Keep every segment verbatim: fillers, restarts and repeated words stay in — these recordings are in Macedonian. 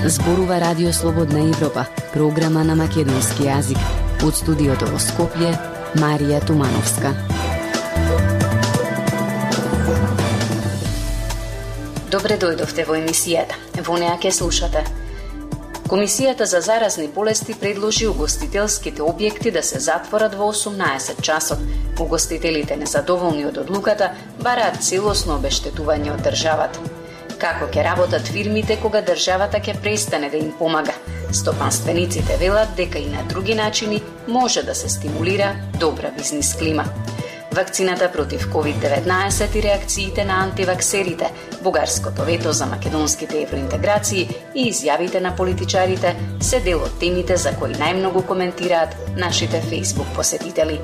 Зборува Радио Слободна Европа, програма на македонски јазик. Од студиото во Скопје, Марија Тумановска. Добре дојдовте во емисијата. Во неа ќе слушате. Комисијата за заразни болести предложи угостителските објекти да се затворат во осумнаесет часот. Угостителите незадоволни од одлуката бараат целосно обештетување од државата. Како ќе работат фирмите кога државата ќе престане да им помага? Стопанствениците велат дека и на други начини може да се стимулира добра бизнис клима. Вакцината против ковид деветнаесет и реакциите на антиваксерите, бугарското вето за македонските евроинтеграции и изјавите на политичарите се дел од темите за кои најмногу коментираат нашите Facebook посетители.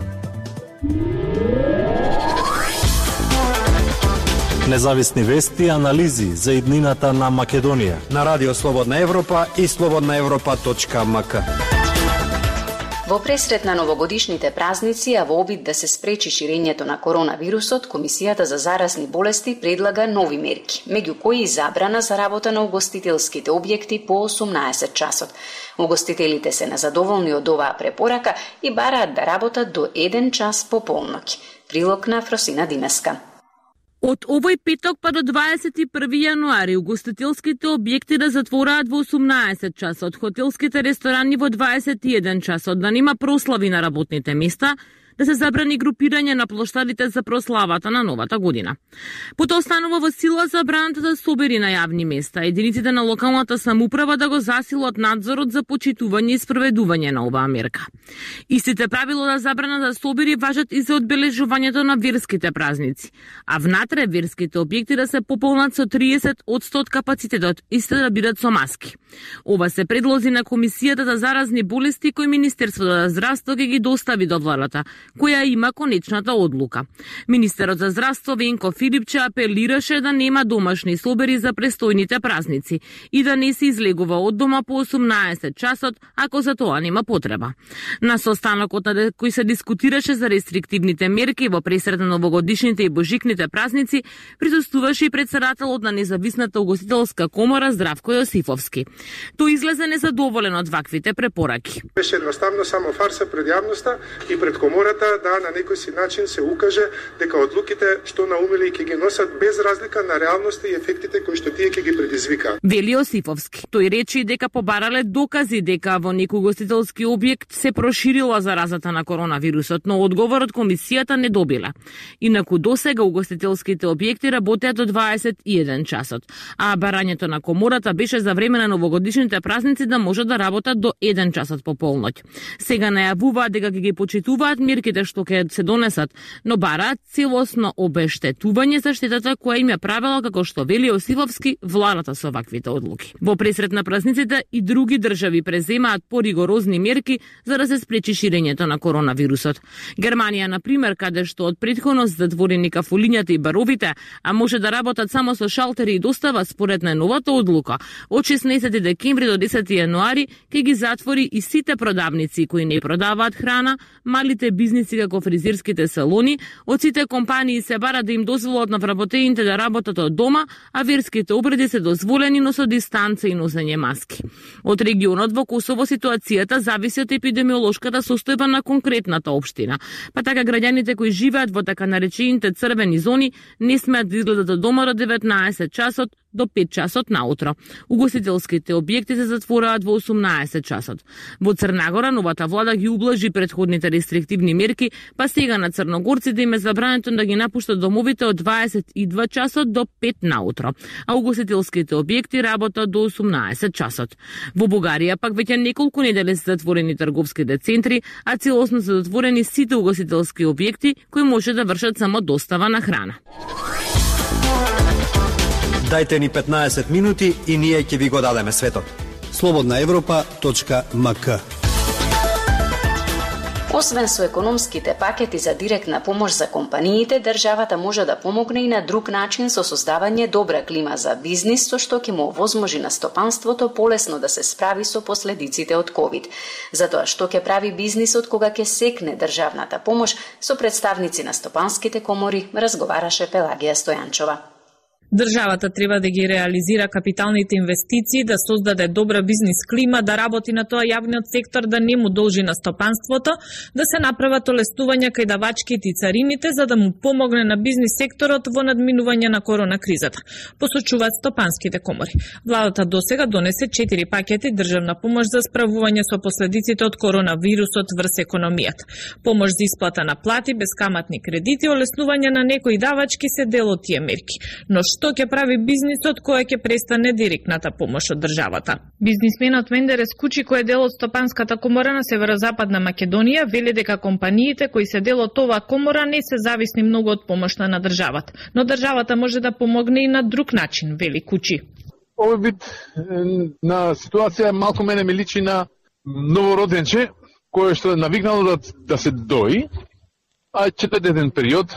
Независни вести и анализи за иднината на Македонија на Радио Слободна Европа и слободна европа точка ем ка. Во пресрет на новогодишните празници, а во обид да се спречи ширењето на коронавирусот, Комисијата за заразни болести предлага нови мерки, меѓу кои и забрана за работа на угостителските објекти по осумнаесет часот. Угостителите се незадоволни од оваа препорака и бараат да работат до еден час по полноќ. Прилог на Фросина Димеска. Од овој петок па до дваесет и први јануари угостителските објекти да затвораат во осумнаесет часот, хотелските ресторани во дваесет и еден часот, да нема прослави на работните места, да се забрани групирање на плоштадите за прославата на новата година. Потоа останува во сила забраната за собери на јавни места, единиците на локалната самоуправа да го засилат надзорот за почитување и спроведување на оваа мерка. Истите правила за забрана за собери важат и за одбележувањето на верските празници, а внатре верските објекти да се пополнат со триесет одсто од капацитетот и се да бидат со маски. Ова се предлози на Комисијата за заразни болести кој Министерството за здравство ќе ги достави до владата, која има конечната одлука. Министерот за здравство Венко Филипче апелираше да нема домашни собери за престојните празници и да не се излегува од дома по осумнаесет часот, ако за тоа нема потреба. На состанокот на кој се дискутираше за рестриктивните мерки во пресрет на новогодишните и божикните празници, присуствуваше и председателот на Независната угостителска комора Здравко Јосифовски. Тој излезе незадоволен од ваквите препораки. Беше едноставно само фарса пред јавноста и пред комората да на некој си начин се укаже дека одлуките што наумили ќе ги носат без разлика на реалноста и ефектите кои што тие ќе ги предизвика. Вели Јосифовски. Тој речи дека побарале докази дека во некој угостителски објект се проширила заразата на коронавирусот, но одговор од комисијата не добила. Инаку досега угостителските објекти работеат до дваесет и еден часот, а барањето на комората беше за време на новогодишните празници да може да работат до еден часот по полноќ. Сега најавуваат дека ќе ги почитуваат мерките што ќе се донесат, но бараат целосно обештетување за штетата која им ја правила, како што вели Јосифовски, владата со ваквите одлуки. Во пресрет на празниците и други држави преземаат поригорозни мерки за да се спречи ширењето на коронавирусот. Германија, на пример, каде што од претходно затворени кафулињата и баровите, а може да работат само со шалтери и достава според најновата одлука, од шеснаесети декември до десети јануари ќе ги затвори и сите продавници кои не продаваат храна, малите бизниси како фризерските салони, од сите компании се бара да им дозволат на вработените да работат од дома, а верските обреди се дозволени, но со дистанца и носење маски. Од регионот во Косово ситуацијата зависи од епидемиолошката состојба на конкретната општина, па така граѓаните кои живеат во така наречените црвени зони не смеат да изгледат од дома до деветнаесет часот до пет часот наутро. Угостителските објекти се затвораат во осумнаесет часот. Во Црнагора новата влада ги ублажи претходните рестриктивни мерки, па сега на црногорците им е забрането да ги напуштат домовите од дваесет и два часот до пет наутро, а угостителските објекти работат до осумнаесет часот. Во Бугарија пак веќе неколку недели се затворени трговските центри, а целосно се затворени сите угостителски објекти кои може да вршат само достава на храна. Дајте ни петнаесет минути и ние ќе ви го дадеме светот. слободна европа точка ем ка. Освен со економските пакети за директна помош за компаниите, државата може да помогне и на друг начин со создавање добра клима за бизнис, со што ќе му овозможи на стопанството полесно да се справи со последиците од ковид. Затоа што ќе прави бизнисот кога ќе секне државната помош, со представници на стопанските комори разговараше Пелагија Стојанчова. Државата треба да ги реализира капиталните инвестиции, да создаде добра бизнис клима, да работи на тоа јавниот сектор да не му должи на стопанството, да се направат олестувања кај давачките и царините за да му помогне на бизнис секторот во надминување на корона кризата, посочуваат стопанските комори. Владата досега донесе четири пакети државна помош за справување со последиците од коронавирусот врз економијата. Помош за исплата на плати, безкаматни кредити, олеснување на некои давачки се дел од тие мерки. Но што ќе прави бизнисот кој ќе престане директната помош од државата? Бизнисменот Мендерес Кучи, кој е дел од Стопанската комора на Северозападна Македонија, вели дека компаниите кои се дел од оваа комора не се зависни многу од помошта на државата, но државата може да помогне и на друг начин, вели Кучи. Овој вид на ситуација малку мене ми личи на новороденче кој што е навикнало да, да се дои, а четиридесетен период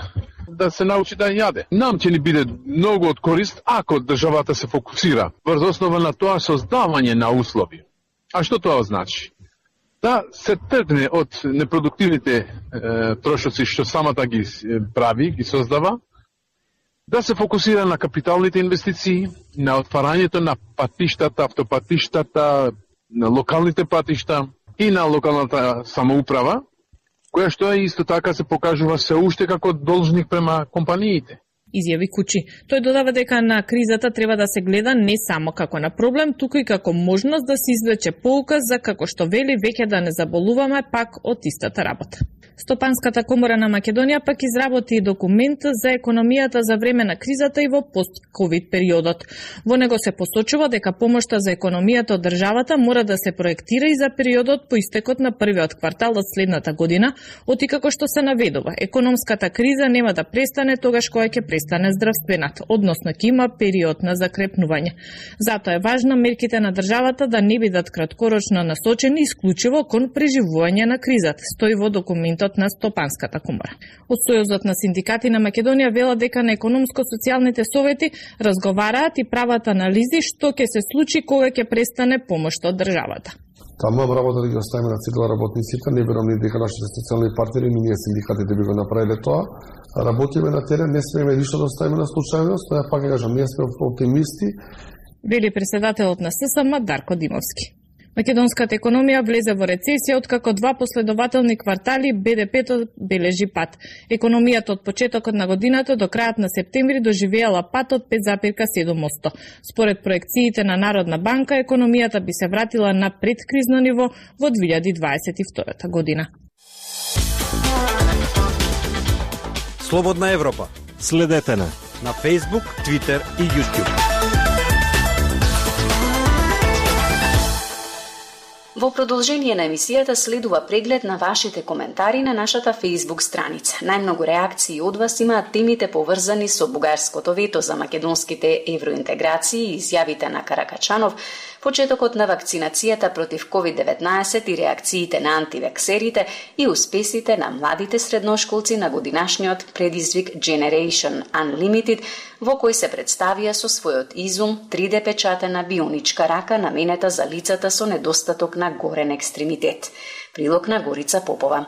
да се научи да јаде. Нам ќе ни биде многу од корист ако државата се фокусира врз основа на тоа создавање на услови. А што тоа значи? Да се тргне од непродуктивните е, трошоци што самата ги прави, ги создава, да се фокусира на капиталните инвестиции, на отварањето на патиштата, автопатиштата, на локалните патишта и на локалната самоуправа, која што е исто така се покажува се уште како должник према компаниите. Изјави Кучи. Тој додава дека на кризата треба да се гледа не само како на проблем, туку и како можност да се извлече поука за како што вели веќе да не заболуваме пак од истата работа. Стопанската комора на Македонија пак изработи документ за економијата за време на кризата и во пост-ковид периодот. Во него се посочува дека помошта за економијата од државата мора да се проектира и за периодот по истекот на првиот квартал од следната година, оти како што се наведува. Економската криза нема да престане тогаш кога ќе престане здравствената, односно ќе има период на закрепнување. Затоа е важно мерките на државата да не бидат краткорочно насочени исклучиво кон преживување на кризата, стои во документот на Стопанската комора. Од Сојузот на синдикати на Македонија вела дека на економско-социјалните совети разговараат и прават анализи што ќе се случи кога ќе престане помошта од државата. Таму работа да ги оставиме на цикла работниците, не верувам ни дека нашите социјални партнери, ние синдикатите би го направиле тоа. Работиме на терен, не смееме ништо да оставиме на случајност, но ја пак кажам, ние сме оптимисти. Вели председателот на ССМ Дарко Димовски. Македонската економија влезе во рецесија откако два последователни квартали Б Д П-то бележи пат. Економијата од почетокот на годината до крајот на септември доживеала пат од пет запирка седум одсто. Според проекциите на Народна банка, економијата би се вратила на предкризно ниво во две илјади дваесет и втора година. Слободна Европа. Следете на на Facebook, Twitter и YouTube. Во продолжение на емисијата следува преглед на вашите коментари на нашата Facebook страница. Најмногу реакции од вас имаат темите поврзани со бугарското вето за македонските евроинтеграции и изјавите на Каракачанов, почетокот на вакцинацијата против ковид деветнаесет и реакциите на антиваксерите и успесите на младите средношколци на годинашниот предизвик Generation Unlimited, во кој се представија со својот изум три Д печатена бионичка рака наменета за лицата со недостаток на горен екстремитет. Прилог на Горица Попова.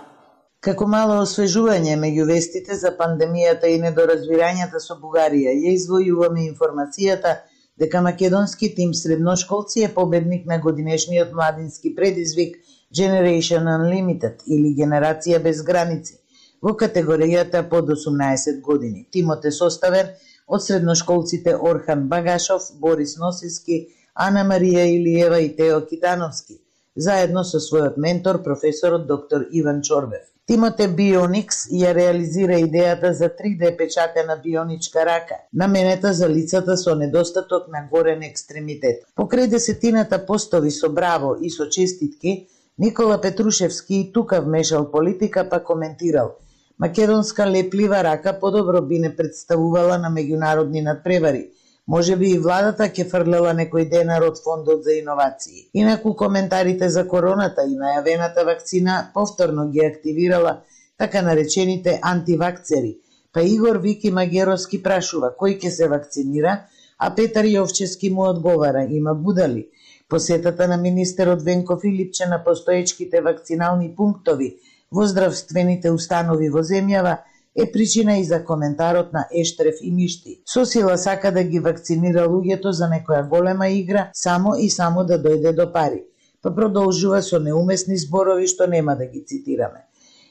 Како мало освежување меѓу вестите за пандемијата и недоразбирањата со Бугарија, ја извојуваме информацијата дека македонски тим средношколци е победник на годинешниот младински предизвик Generation Unlimited или Генерација без граници во категоријата под осумнаесет години. Тимот е составен од средношколците Орхан Багашов, Борис Носиски, Ана Марија Илиева и Тео Китановски, заедно со својот ментор, професорот доктор Иван Чорбев. Тимот е Bionix и ја реализира идејата за три Д печатена бионичка рака, наменета за лицата со недостаток на горен екстремитет. Покрај десетината постови со браво и со честитки, Никола Петрушевски и тука вмешал политика па коментирал: македонска леплива рака подобро би не представувала на меѓународни надпревари. Може би и владата ќе фрлела некој денар од фондот за иновации. Инаку коментарите за короната и најавената вакцина повторно ги активирала така наречените антивакцери. Па Игор Вики Магеровски прашува кој ќе се вакцинира, а Петар Јовчевски му одговара: има будали. Посетата на министерот Венко Филипче на постоечките вакцинални пунктови во здравствените установи во земјава е причина и за коментарот на Ештреф и Мишти. Со сила сака да ги вакцинира луѓето за некоја голема игра, само и само да дојде до пари. Па продолжува со неумесни зборови што нема да ги цитираме.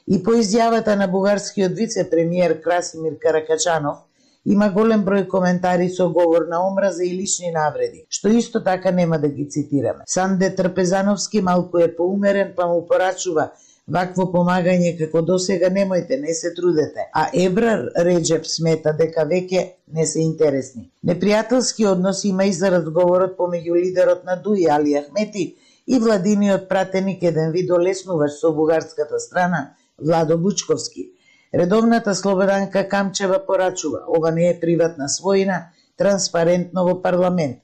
И по изјавата на бугарскиот вице-премиер Красимир Каракачанов, има голем број коментари со говор на омраза и лични навреди, што исто така нема да ги цитираме. Санде Трпезановски малку е поумерен, па му порачува: вакво помагање како досега немојте, не се трудете. А Ебрар Реджеп смета дека веќе не се интересни. Непријателски однос има и за разговорот помеѓу лидерот на ДУИ Али Ахмети и владиниот пратеник еден видеолеснувач со бугарската страна Владо Бучковски. Редовната Слободанка Камчева порачува: ова не е приватна својина, транспарентно во парламент.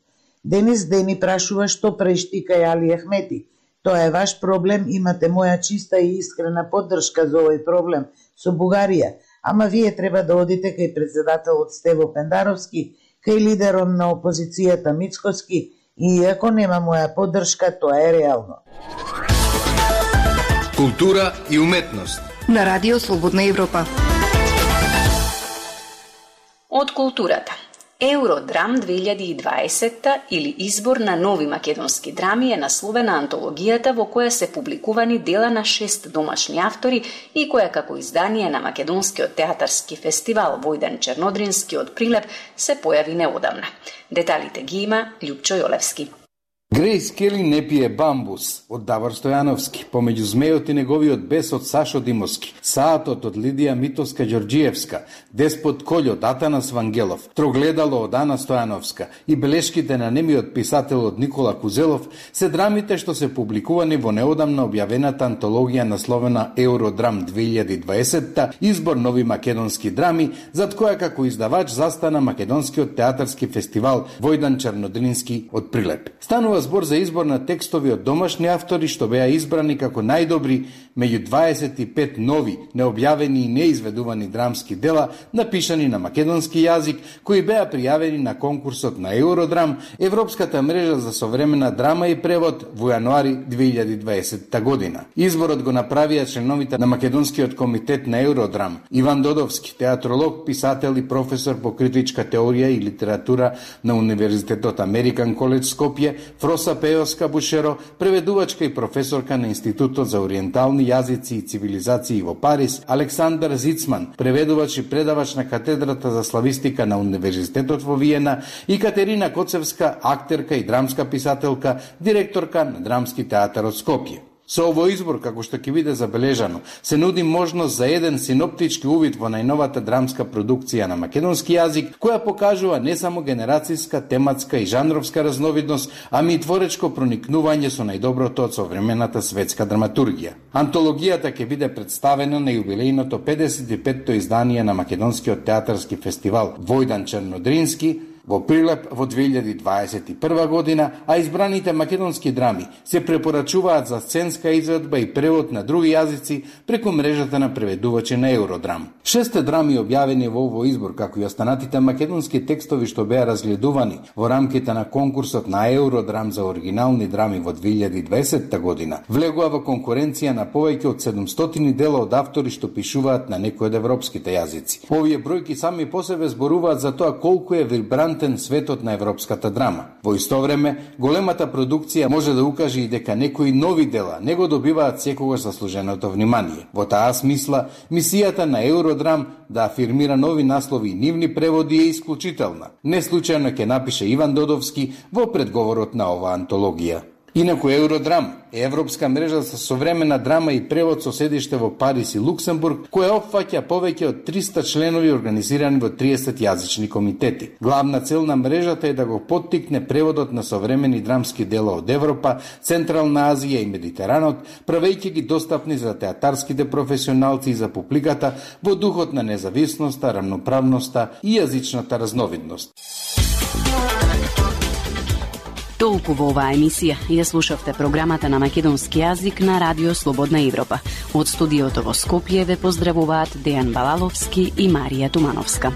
Денис Дени прашува што прештика Али Ахмети. Тоа е ваш проблем, имате моја чиста и искрена поддршка за овој проблем со Бугарија, ама вие треба да одите кај председателот Стево Пендаровски, кај лидерот на опозицијата Мицкоски, и иако нема моја поддршка, тоа е реално. Култура и уметност на Радио Слободна Европа. Од културата. Евродрам две илјади и дваесетта или избор на нови македонски драми е насловена антологијата во која се публикувани дела на шест домашни автори и која како издание на Македонскиот театарски фестивал Војдан Чернодрински од Прилеп се појави неодамна. Деталите ги има Љупчо Јолевски. Грейс Кели не пие бамбус од Давор Стојановски, помеѓу змејот и неговиот бес од Сашо Димовски, Саатот од Лидија Митовска Ѓорѓиевска, Деспот Колј од Атанас Вангелов, Трогледало од Ана Стојановска и белешките на немиот писател од Никола Кузелов се драмите што се публикувани во неодамна објавената антологија насловена Евродрам две илјади и дваесетта, избор нови македонски драми, зад која како издавач застана Македонскиот театарски фестивал Војдан Чернодрински од Прилеп. Станува збор за избор на текстови од домашни автори што беа избрани како најдобри меѓу дваесет и пет нови, необјавени и неизведувани драмски дела, напишани на македонски јазик, кои беа пријавени на конкурсот на Евродрам, Европската мрежа за современа драма и превод, во јануари две илјади и дваесетта година. Изборот го направија членовите на Македонскиот комитет на Евродрам: Иван Додовски, театролог, писател и професор по критичка теорија и литература на Универзитетот Американ Коледж Скопје, Фроса Пеоска Бушеро, преведувачка и професорка на Институтот за ориентални јазици и цивилизации во Париз, Александар Зицман, преведувач и предавач на катедрата за славистика на Универзитетот во Виена, и Катерина Коцевска, актерка и драмска писателка, директорка на Драмски театар од Скопје. Со овој избор, како што ќе биде забележано, се нуди можност за еден синоптички увид во најновата драмска продукција на македонски јазик, која покажува не само генерацијска, тематска и жанровска разновидност, ами и творечко проникнување со најдоброто од современата светска драматургија. Антологијата ќе биде представена на јубилејното педесет и петто издание на Македонскиот театарски фестивал Војдан Чернодрински во Прилеп во две илјади дваесет и прва година, а избраните македонски драми се препорачуваат за сценска изведба и превод на други јазици преку мрежата на преведувачи на Евродрам. Шесте драми објавени во овој избор, како и останатите македонски текстови што беа разгледувани во рамките на конкурсот на Евродрам за оригинални драми во две илјади и дваесетта година, влегува во конкуренција на повеќе од седумстотини дела од автори што пишуваат на некои од европските јазици. Овие бројки сами по себе зборуваат за тоа колку е вибрантен светот на европската драма. Во исто време, големата продукција може да укаже и дека некои нови дела не го добиваат секогаш заслуженото внимание. Во таа смисла, мисијата на Евродрам да афирмира нови наслови и нивни преводи е исклучителна. Не случајно ќе напише Иван Додовски во предговорот на оваа антологија. Инаку Евродрам е европска мрежа за современа драма и превод со седиште во Париз и Луксембург, која опфаќа повеќе од триста членови организирани во триесет јазични комитети. Главна цел на мрежата е да го поттикне преводот на современи драмски дела од Европа, Централна Азија и Медитеранот, правејќи ги достапни за театарските професионалци и за публиката во духот на независноста, рамноправноста и јазичната разновидност. Толку во оваа емисија ја слушавте програмата на македонски јазик на Радио Слободна Европа. Од студиото во Скопје ве поздравуваат Дејан Балаловски и Марија Тумановска.